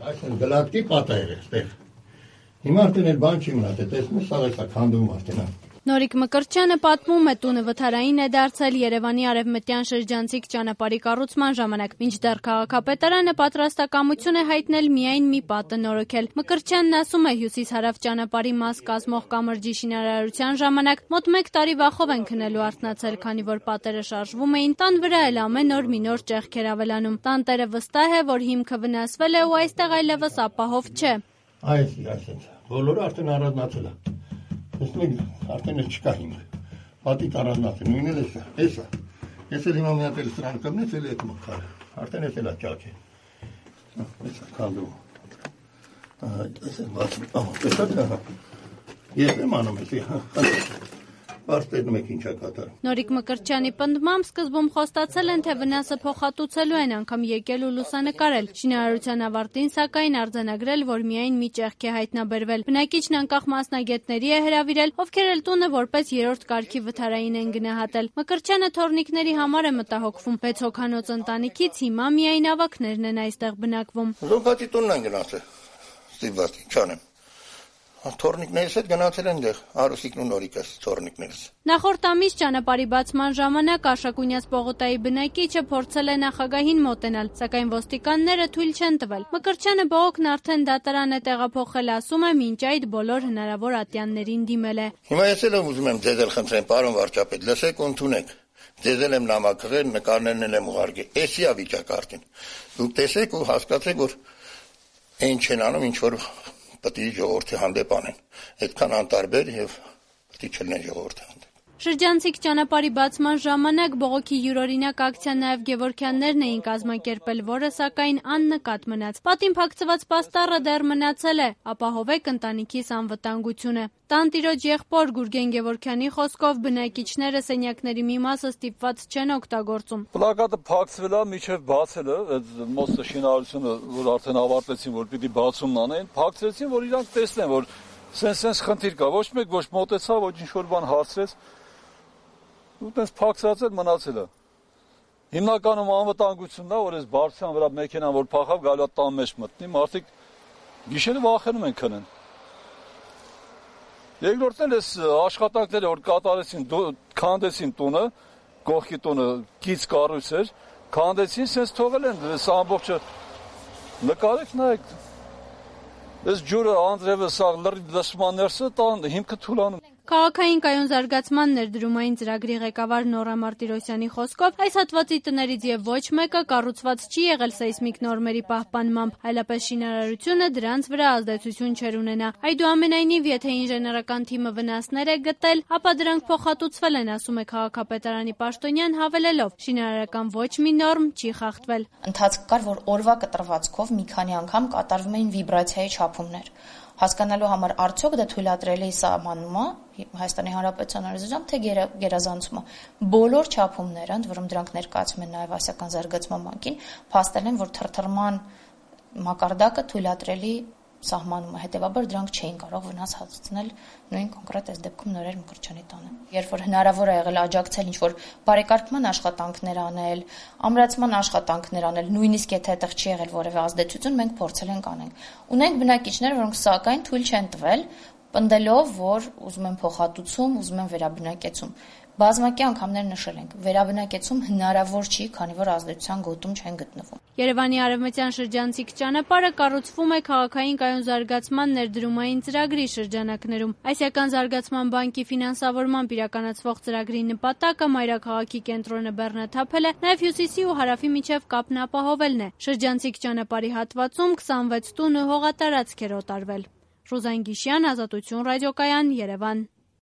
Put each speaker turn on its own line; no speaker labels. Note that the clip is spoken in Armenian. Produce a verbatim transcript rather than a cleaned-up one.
Այսինքն գլատկի պատայր է այստեղ։ Հիմա արդեն էլ բան չի մնացել, տեսնես սա էսա քանդում արդեն։
Նորիկ Մկրտչյանը պատմում է, տունը վթարային է դարձել Երևանի արևմտյան շրջանցիկ ճանապարհի կառուցման ժամանակ, մինչդեռ քաղաքապետարանը պատրաստակամություն է հայտնել միայն մի պատը նորոգել։ Մկրտչյանն ասում է, հյուսիս-հարավ ճանապարհի մաս կազմող կամրջի շինարարության ժամանակ մոտ մեկ տարի վախով են քնելու արթնացել, քանի որ պատերը շարժվում էին, տան վրա էլ ամեն օր մի նոր ճեղքեր ավելանում։ Տանտերը վստահ է, որ հիմքը վնասվել է ու այստեղ այլևս ապահով չէ։
Այս, այսինքն, բոլորը արդեն առանձնացել է։ Տեսնում եք, արդեն չկա հիմք, պատիկ առանձնացել, նույնն էլ էսա, էսա, ես էլ հիմա մի հատ էլ սրան կմնես, էլ ետ մխարը, արդեն ես էլ աճակ է, էսա կանդում, ես էլ բացում, տեսակ է, ես եմ անում ես, Բարդ տեսնում եք ինչա կատարում։
Նորիկ Մկրտչյանի պնդմամբ սկզբում խոստացել են, թե վնասը փոխհատուցելու են անգամ եկել ու լուսանկարել։ Շինարարության ավարտին սակայն արձանագրել, որ միայն մի ճեղք է հայտնաբերվել։ Բնակիչն անկախ մասնագետների է հրավիրել, ովքեր էլ տունը որպես երրորդ կարգի վթարային են գնահատել։ Մկրտչյանը թորնիկների համար է մտահոգվում։ Վեց հոգանոց ընտանիքից հիմա միայն ավագներն են այստեղ բնակվում։
Զոհվածի տունն են գնացել։ Ստիպված չանեմ։ Թորնիկներս հետ գնացել են դեղ, Արուսիկն ու Նորիկս թորնիկներս։
Նախորդ ամիս ճանապարհի բացման ժամանակ Արշակունյաց պողոտայի բնակիչը փորձել է նախագահին մոտենալ, սակայն ոստիկանները թույլ չեն տվել։ Մկրտչյանը բողոքն արդեն դատարան է տեղափոխել, ասում է, մինչ այդ բոլոր հնարավոր ատյաններին դիմել է։
Հիմա ես էլ ուզում եմ ձեզ էլ խնդրեմ, պարոն վարչապետ, լսեք ու ընդունեք։ Ձեզ էլ եմ նամակղել, նկարներն էլ եմ ուղարկել։ Էսի է վիճակարտին։ Դուք տեսեք ու հասկացեք, որ այն չեն անում, ինչ որ Պետք է ժողովրդի հանդեպ անեն, այդքան անտարբեր եւ պետք է չլինեն ժողովրդի հանդեպ։
Շրջանցիկ ճանապարհի բացման ժամանակ բողոքի յուրօրինակ ակցիա նաև Գևորգյաններն էին կազմակերպել, որը սակայն աննկատ մնաց։ Պատին փակցված պաստառը դեռ մնացել է, ապահովեք ընտանիքիս անվտանգությունը։ Տանտիրոջ եղբոր Գուրգեն Գևորգյանի խոսքով բնակիչները սենյակների մի մասը ստիպված չեն օգտագործում։
Պլակատը փակցվել է, միջև բացել է, այդ մոստը շինարարությունը, որ արդեն ավարտեցին, որ պիտի բացումն անեն, փակցրեցին, որ իրանք տեսնեն, որ սենց-սենց խնդիր կա, ոչ մեկ ոչ մոտեցավ, ոչ ինչ-որ բան հարցրեց, ու տենց փակցած էլ մնացել է։ Հիմնականում անվտանգությունն է, որ այս բարձրության վրա մեքենան, որ փախավ, գալու է տան մեջ մտնի, մարդիկ գիշերը վախենում են քնեն։ Երկրորդն էլ այս աշխատանքները, որ կատարեցին, քանդեցին տունը, կողքի տունը կից կառույց էր, քանդեցին, սենց թողել են, այս ամբողջը նկարեք, նայեք, այս ջուրը անձրևը սա լսման ներսը տան հիմքը թուլանում։
Քաղաքային կայուն զարգացման ներդրումային ծրագրի ղեկավար Նորա Մարտիրոսյանի խոսքով այս հատվածի տներից եւ ոչ մեկը կառուցված չի եղել սեյսմիկ նորմերի պահպանմամբ, այլապես շինարարությունը դրանց վրա ազդեցություն չէր ունենա։ Այդուամենայնիվ, եթե ինժեներական թիմը վնասներ է գտել, ապա դրանք փոխհատուցվել են, ասում է քաղաքապետարանի պաշտոնյան, հավելելով, շինարարական ոչ մի նորմ չի խախտվել։
Ընթացք կար, որ օրվա կտրվածքով մի քանի անգամ կատարվում էին վիբրացիայի չափումներ։ Հասկանալու համար արդյոք դա թույլատրելի սահմանումը Հայաստանի Հանրապետության օրենսդրությամբ թե գերազանցումը բոլոր չափումները, ընդ որում դրանք ներկայացում են նաև Ասիական զարգացման բանկին, փաստել են, որ թրթռման մակարդակը թույլատրելի սահմանումը, հետևաբար դրանք չէին կարող վնաս հասցնել նույն կոնկրետ այս դեպքում Նորեր Մկրտչյանի տանը։ Երբ որ հնարավոր է եղել աջակցել ինչ-որ բարեկարգման աշխատանքներ անել, ամրացման աշխատանքներ անել, նույնիսկ եթե այդտեղ չի եղել որևէ ազդեցություն, մենք փորձել ենք անենք։ Ունենք բնակիչներ, որոնք սակայն թույլ չեն տվել, պնդելով, որ ուզում են փոխհատուցում, ուզում են վերաբնակեցում։ Բազմակի անգամներ նշել ենք, վերաբնակեցում հնարավոր չի, քանի որ ազդեցության գոտում չեն գտնվում։
Երևանի արևմտյան շրջանցիկ ճանապարհը կառուցվում է քաղաքային կայուն զարգացման ներդրումային ծրագրի շրջանակներում։ Ասիական զարգացման բանկի ֆինանսավորմամբ իրականացվող ծրագրի նպատակը մայրաքաղաքի կենտրոնը բեռնաթափել է, նաև հյուսիսի ու հարավի միջև կապն ապահովելն է։ Շրջանցիկ ճանապարհի հատվածում քսանվեց տուն ու հողատարածք էր օտարվել։ Ռուզան Գիշյան, Ազատություն ռադիոկայան, Երևան։